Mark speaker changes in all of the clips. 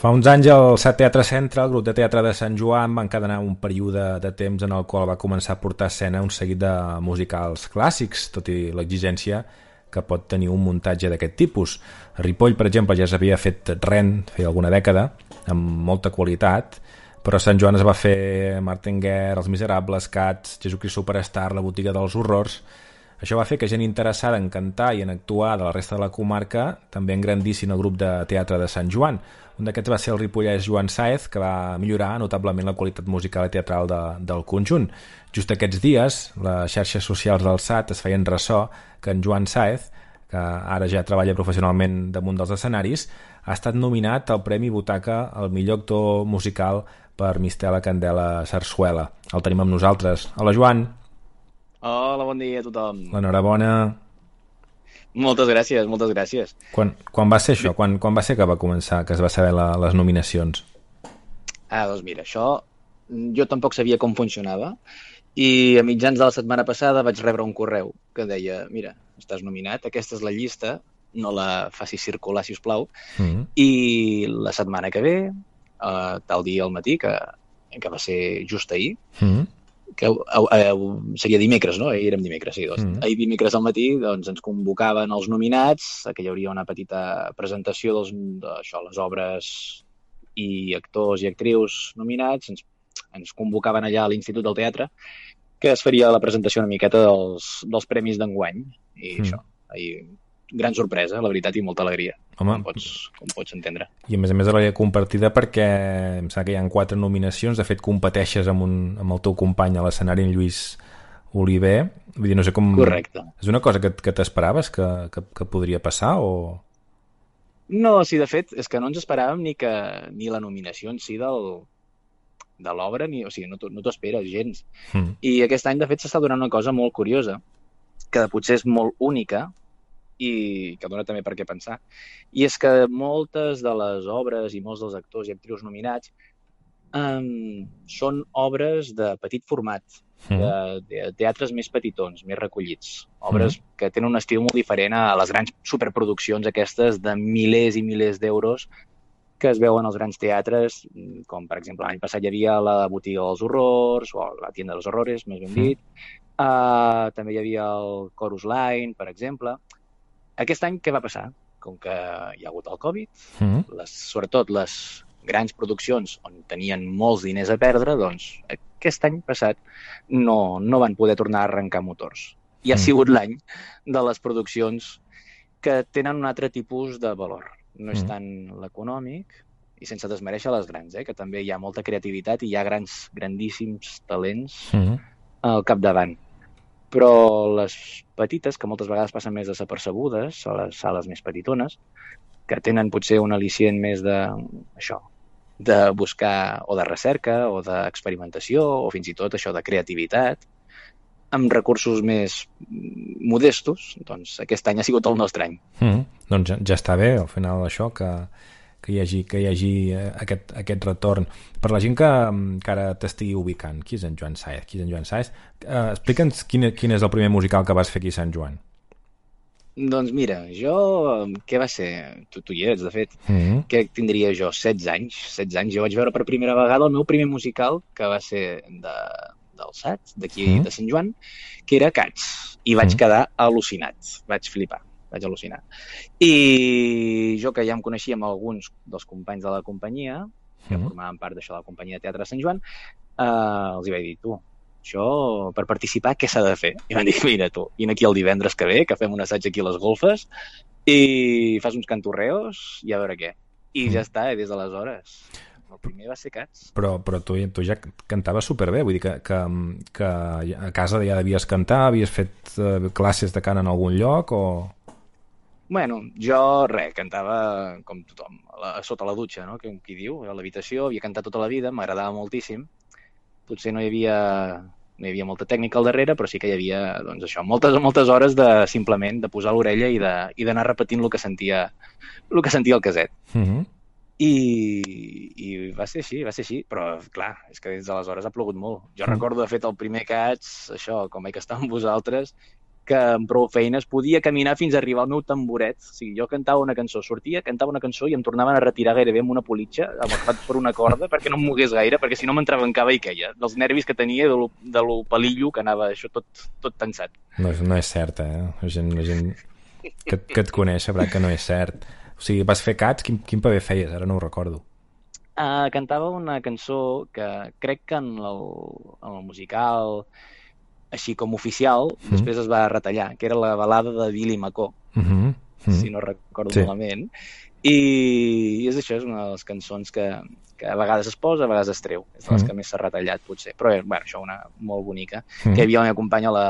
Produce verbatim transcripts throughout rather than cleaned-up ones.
Speaker 1: Fa uns anys el Sat Teatre Centre, el grup de teatre de Sant Joan, va encadenar un període de temps en el qual va començar a portar a escena un seguit de musicals clàssics, tot i l'exigència que pot tenir un muntatge d'aquest tipus. A Ripoll, per exemple, ja s'havia fet Ren feia alguna dècada, amb molta qualitat, però a Sant Joan es va fer Martin Guerre, Els Miserables, Cats, Jesucrist Superstar, La Botiga dels Horrors. Això va fer que gent interessada en cantar i en actuar de la resta de la comarca també engrandissin el grup de teatre de Sant Joan. Un d'aquests va ser el ripollès Joan Sáez, que va millorar notablement la qualitat musical i teatral de, del conjunt. Just aquests dies, les xarxes socials del S A T es feien ressò que en Joan Sáez, que ara ja treballa professionalment damunt dels escenaris, ha estat nominat al Premi Butaca al millor actor musical per Mistela Candela Sarsuela. El tenim amb nosaltres. Hola, Joan.
Speaker 2: Hola, bon dia a tothom.
Speaker 1: L'enhorabona.
Speaker 2: Moltes gràcies, moltes gràcies.
Speaker 1: Quan, quan va ser això? Quan, quan va ser que va començar, que es va saber la, les nominacions?
Speaker 2: Ah, doncs mira, això jo tampoc sabia com funcionava i a mitjans de la setmana passada vaig rebre un correu que deia, mira, estàs nominat, aquesta és la llista, no la facis circular, si us plau, mm-hmm. i la setmana que ve, eh, tal dia al matí, que, que va ser just ahir, mm-hmm. que uh, uh, seria dimecres, no? Ahir érem dimecres, sí. Doncs, mm. Ahir dimecres al matí doncs, ens convocaven els nominats, que hi hauria una petita presentació dels, d'això, les obres i actors i actrius nominats, ens, ens convocaven allà a l'Institut del Teatre, que es faria la presentació una miqueta dels, dels premis d'enguany, i mm. això, ahir, gran sorpresa, la veritat, i molta alegria,
Speaker 1: Home.
Speaker 2: com pots, com pots entendre.
Speaker 1: I a més a més alegria compartida perquè em sembla que hi ha quatre nominacions, de fet competeixes amb, un, amb el teu company a l'escenari, en Lluís Oliver, vull dir, no sé com...
Speaker 2: Correcte.
Speaker 1: És una cosa que, que t'esperaves que, que, que podria passar o...?
Speaker 2: No, sí, de fet, és que no ens esperàvem ni que ni la nominació en si del, de l'obra, ni, o sigui, no t'ho no esperes gens. Mm. I aquest any, de fet, s'està donant una cosa molt curiosa, que potser és molt única, i que dona també per què pensar, i és que moltes de les obres i molts dels actors i actrius nominats um, són obres de petit format, mm. de, de teatres més petitons, més recollits, obres mm. que tenen un estil molt diferent a les grans superproduccions aquestes de milers i milers d'euros que es veuen als grans teatres, com per exemple l'any passat hi havia la Botiga dels Horrors, o la Tienda dels Horrores, més ben dit, mm. uh, també hi havia el Chorus Line, per exemple. Aquest any què va passar? Com que hi ha hagut el Covid, mm. les, sobretot les grans produccions on tenien molts diners a perdre, doncs aquest any passat no, no van poder tornar a arrencar motors. I ha mm. sigut l'any de les produccions que tenen un altre tipus de valor. No és mm. tant l'econòmic, i sense desmereixer les grans, eh, que també hi ha molta creativitat i hi ha grans, grandíssims talents mm. al capdavant. Però les petites, que moltes vegades passen més desapercebudes, a les sales més petitones, que tenen potser un al·licient més de, això, de buscar o de recerca o d'experimentació o fins i tot això de creativitat, amb recursos més modestos, doncs aquest any ha sigut el nostre any.
Speaker 1: Mm, doncs ja, ja està bé, al final, això, que, que hi hagi, que hi hagi aquest, aquest retorn. Per la gent que, que ara t'estigui ubicant, qui és en Joan Sáez? Qui és en Joan Sáez? Uh, Explica'ns quin, quin és el primer musical que vas fer aquí a Sant Joan.
Speaker 2: Doncs mira, jo, què va ser? Tu, tu hi ets, de fet. Mm-hmm. Què tindria jo? setze anys. setze anys. Jo vaig veure per primera vegada el meu primer musical, que va ser de, del S A T, d'aquí mm-hmm. de Sant Joan, que era Cats. I vaig mm-hmm. quedar al·lucinat. Vaig flipar. Vaig al·lucinar. I jo, que ja em coneixia amb alguns dels companys de la companyia, que mm-hmm. formaven part d'això de la companyia de teatre de Sant Joan, eh, els hi vaig dir, tu, això, per participar, què s'ha de fer? I van dir, mira tu, vine aquí el divendres que ve, que fem un assaig aquí a les golfes, i fas uns cantorreos i a veure què. I ja està, i des d'aleshores. El primer va ser Cats.
Speaker 1: Però, però tu, tu ja cantaves superbé, vull dir que, que, que a casa ja devies cantar, havies fet uh, classes de cant en algun lloc o...
Speaker 2: Bueno, jo, res, cantava com tothom, a la, sota la dutxa, no? Com qui diu, a l'habitació, havia cantat tota la vida, m'agradava moltíssim. Potser no hi havia, no hi havia molta tècnica al darrere, però sí que hi havia, doncs això, moltes moltes hores de simplement de posar l'orella i de i d'anar repetint el que sentia el que sentia el caset. Mm-hmm. I, i va ser així, va ser així, però clar, és que des d'aleshores ha plogut molt. Jo mm. recordo, de fet, el primer Cats, això, com vaig estar amb vosaltres, que amb prou feines podia caminar fins a arribar al meu tamboret. O sigui, jo cantava una cançó, sortia, cantava una cançó i em tornaven a retirar gairebé amb una politxa, agafat per una corda, perquè no em mogués gaire, perquè si no m'entrebancava i queia. Dels nervis que tenia, de lo, de lo pelillo que anava això tot, tot tensat.
Speaker 1: No, no és cert, eh? La gent, la gent que, que et coneix sabrà que no és cert. O sigui, vas fer cats? Quin, quin paper feies? Ara no ho recordo.
Speaker 2: Uh, cantava una cançó que crec que en el, en el musical... així com oficial, mm. després es va retallar, que era la balada de Billy McCaw, mm -hmm. Mm. si no recordo sí. malament. I, I és això, és una de les cançons que, que a vegades es posa, a vegades es treu. És de les mm. que més s'ha retallat, potser. Però, bueno, això una molt bonica. Mm. Que hi havia la meva companya, la,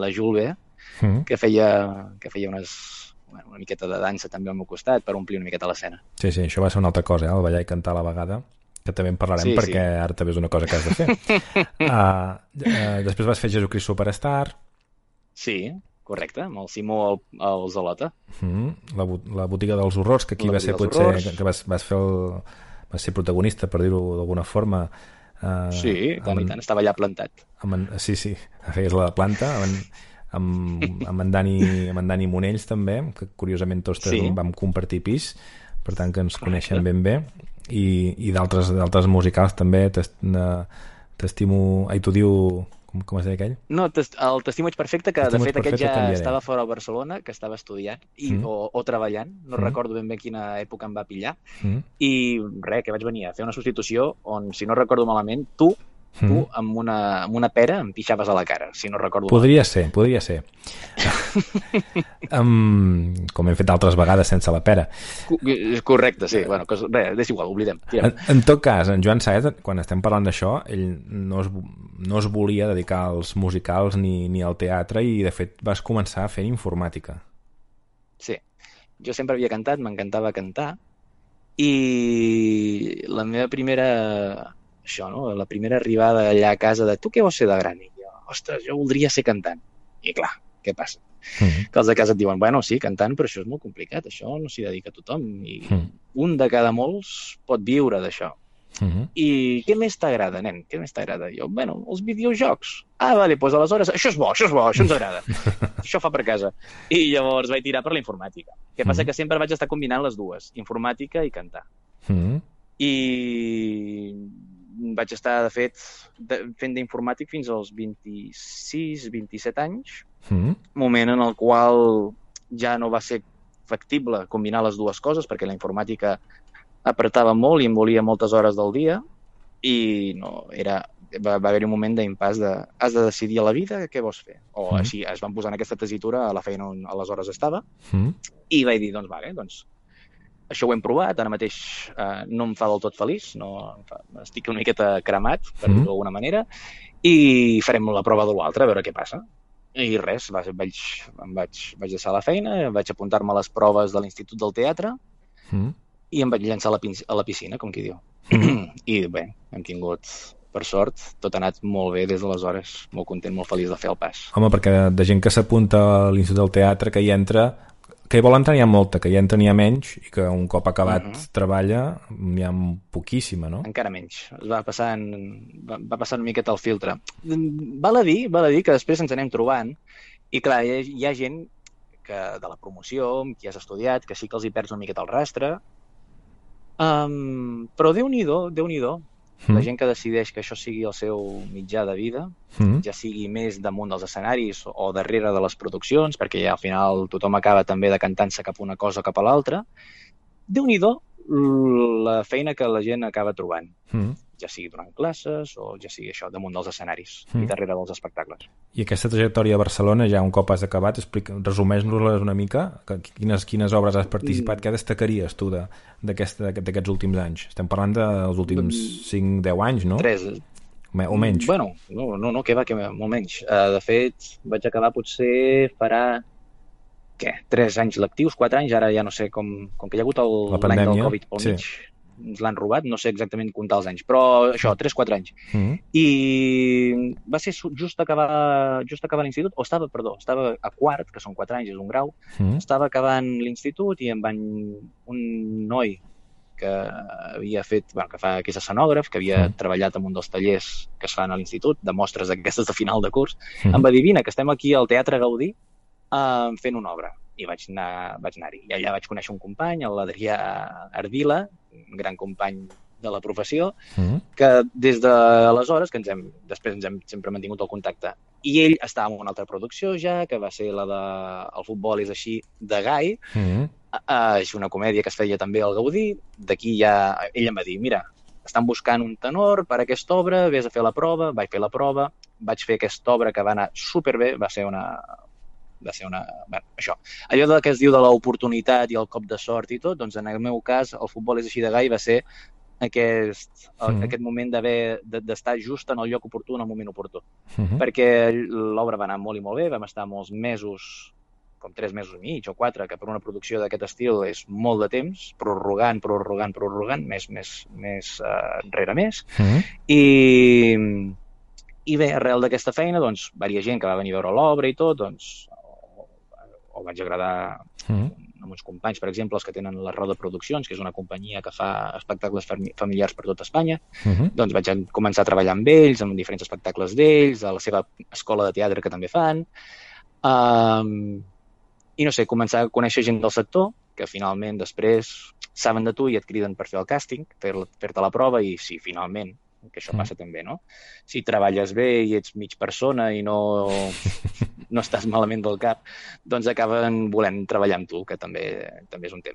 Speaker 2: la Julve, mm. que, feia, que feia unes, bueno, una miqueta de dansa també al meu costat per omplir una miqueta l'escena.
Speaker 1: Sí, sí, això va ser una altra cosa, eh? El ballar i cantar a la vegada, que també en parlarem sí, perquè sí. ara també és una cosa que has de fer. uh, uh, després vas fer Jesucrist Superstar.
Speaker 2: Sí, correcte, amb el Simó al Zolota.
Speaker 1: Mm, la, la botiga dels horrors, que aquí la va ser potser que, que vas, vas fer el, vas ser protagonista, per dir-ho d'alguna forma. Uh,
Speaker 2: sí, tant i tant, estava allà plantat.
Speaker 1: Amb, sí, sí, feies la planta, amb, amb, amb, en Dani, amb en Dani Monells també, que curiosament tots tres sí. vam compartir pis, per tant que ens coneixen ben bé. i, i d'altres d'altres musicals també. T'estimo... Ai, t'ho diu... Com, com es deia aquell?
Speaker 2: No, el T'estimo ets perfecte, que de fet aquest ja estava fora a Barcelona, que estava estudiant i, mm. o, o treballant, no mm. recordo ben bé quina època em va pillar, mm. i res, que vaig venir a fer una substitució on, si no recordo malament, tu tu mm. amb, una, amb una pera em pixaves a la cara, si no recordo
Speaker 1: podria mal. ser, podria ser um, com hem fet altres vegades sense la pera.
Speaker 2: Correcte, sí, bueno, que, res, és igual, oblidem
Speaker 1: en, en tot cas, en Joan Saez, quan estem parlant d'això, ell no es, no es volia dedicar als musicals ni, ni al teatre, i de fet vas començar fent informàtica.
Speaker 2: Sí, jo sempre havia cantat, m'encantava cantar, i la meva primera això, no? La primera arribada allà a casa de tu què vols ser de gran? I jo, ostres, jo voldria ser cantant. I clar, què passa? Mm-hmm. Que els de casa et diuen, bueno, sí, cantant, però això és molt complicat, això no s'hi dedica a tothom. I mm. un de cada molts pot viure d'això. Mm-hmm. I què més t'agrada, nen? Què més t'agrada? Jo, bueno, els videojocs. Ah, vale, doncs aleshores, això és bo, això és bo, això ens agrada. Això fa per casa. I llavors vaig tirar per la informàtica. Què passa? Mm-hmm. Que sempre vaig estar combinant les dues, informàtica i cantar. Mm-hmm. I... vaig estar, de fet, de, fent d'informàtic fins als vint-i-sis vint-i-set anys, mm. moment en el qual ja no va ser factible combinar les dues coses, perquè la informàtica apretava molt i em volia moltes hores del dia, i no, era, va, va haver-hi un moment d'impàs de has de decidir a la vida què vols fer. O mm. així, es van posar en aquesta tessitura a la feina on aleshores estava, mm. i vaig dir, doncs, vale, doncs, això ho hem provat, ara mateix eh, no em fa del tot feliç, no, fa, estic una miqueta cremat, per mm. dir-ho d'alguna manera, i farem la prova de l'altre, a veure què passa. I res, vaig, vaig, em vaig, vaig deixar la feina, vaig apuntar-me a les proves de l'Institut del Teatre mm. i em vaig llançar a la, a la piscina, com qui diu. Mm. I bé, hem tingut, per sort, tot ha anat molt bé des d'aleshores, molt content, molt feliç de fer el pas.
Speaker 1: Home, perquè de gent que s'apunta a l'Institut del Teatre, que hi entra... que hi vol entrar n'hi ha molta, que hi entra n'hi ha menys, i que un cop acabat uh-huh. treballa n'hi ha poquíssima, no?
Speaker 2: Encara menys. Es va passant, va, va passant una miqueta el filtre. Val a dir, val a dir que després ens anem trobant, i clar, hi ha, hi ha gent que de la promoció, qui has estudiat, que sí que els hi perds una miqueta el rastre, um, però Déu-n'hi-do, Déu-n'hi-do. Mm. La gent que decideix que això sigui el seu mitjà de vida, mm. ja sigui més damunt dels escenaris o darrere de les produccions, perquè ja al final tothom acaba també decantant-se cap a una cosa o cap a l'altra, Déu-n'hi-do la feina que la gent acaba trobant. Mm. Ja sigui donant classes o ja sigui això, damunt dels escenaris mm. i darrere dels espectacles.
Speaker 1: I aquesta trajectòria a Barcelona, ja un cop has acabat, resumeix-nos-les una mica, quines, quines obres has participat, mm. què destacaries tu d'aquests últims anys? Estem parlant dels últims cinc deu anys, no?
Speaker 2: tres.
Speaker 1: O menys?
Speaker 2: Bueno, no, no, no que va, que va, molt menys. Uh, de fet, vaig acabar potser farà què? tres anys lectius, quatre anys, ara ja no sé, com, com que hi ha hagut l'any del Covid pel mig, sí. Ens l'han robat, no sé exactament comptar els anys, però això, tres quatre anys. Mm-hmm. I va ser just acabar, just acabar l'institut, o estava, perdó, estava a quart, que són quatre anys, és un grau, mm-hmm. estava acabant l'institut i em van... un noi que havia fet, bueno, que fa, que és escenògraf, que havia mm. treballat en un dels tallers que es fan a l'institut, de mostres aquestes de final de curs, mm. em va dir, vine, que estem aquí al Teatre Gaudí, uh, fent una obra. I vaig anar, vaig anar-hi. I allà vaig conèixer un company, l'Adrià Ardila, un gran company de la professió, mm. que des d'aleshores, que ens hem, després ens hem sempre mantingut el contacte, i ell estava en una altra producció ja, que va ser la de El futbol és així, de Gai, mm. uh, és una comèdia que es feia també al Gaudí. D'aquí ja, ell em va dir, mira, estan buscant un tenor per a aquesta obra, vés a fer la prova. Vaig fer la prova, vaig fer aquesta obra que va anar superbé, va ser una... va ser una... Bueno, això. Allò de que es diu de l'oportunitat i el cop de sort i tot, doncs en el meu cas El futbol és així de Gai va ser aquest, mm. aquest moment d'haver d'estar just en el lloc oportú, en el moment oportú. Mm-hmm. Perquè l'obra va anar molt i molt bé, vam estar molts mesos, com tres mesos i mig o quatre, que per una producció d'aquest estil és molt de temps, prorrogant, prorrogant, prorrogant, més, més, més uh, rere més. Mm-hmm. I, i bé, arrel d'aquesta feina, doncs, varia gent que va venir a veure l'obra i tot, doncs, o, o vaig agradar mm. amb uns companys, per exemple, els que tenen la Roda Produccions, que és una companyia que fa espectacles familiars per tot Espanya, mm-hmm. doncs vaig començar a treballar amb ells, amb diferents espectacles d'ells, a la seva escola de teatre que també fan, um, i no sé, començar a conèixer gent del sector, que finalment després saben de tu i et criden per fer el càsting, fer, fer-te la prova, i sí, finalment, que això passa també, no? Si treballes bé i ets mig persona i no, no estàs malament del cap, doncs acaben volent treballar amb tu, que també, també és un tema.